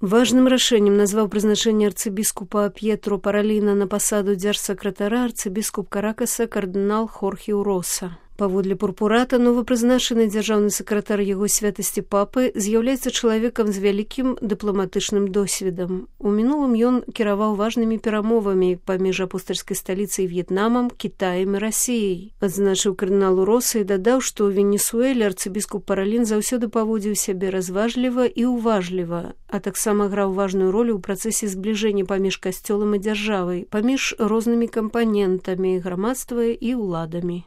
Важным рашэннем назваў прызначэнне арцыбіскупа П'етро Параліна на пасаду дзяржсакратара арцыбіскуп Каракаса кардынал Хорхе Уроса. Паводле пурпурата, новапрызначаны дзяржаўны сакратар яго святасці папы з'яўляецца чалавекам з вялікім дыпламатычным досведам. У мінулым ён кіраваў важнымі перамовамі паміж апостальскай сталіцай В'етнамам, Кітаем і Расіяй. Адзначыў кардынал Уроса і дадаў, што ў Венесуэле арцыбіскуп Паралін заўсёды паводзіў сябе разважліва і ўважліва, а таксама граў важную ролю ў працэсе збліжэння паміж касцёлам і дзяржавай, паміж рознымі кампанентамі грамадства і ўладамі.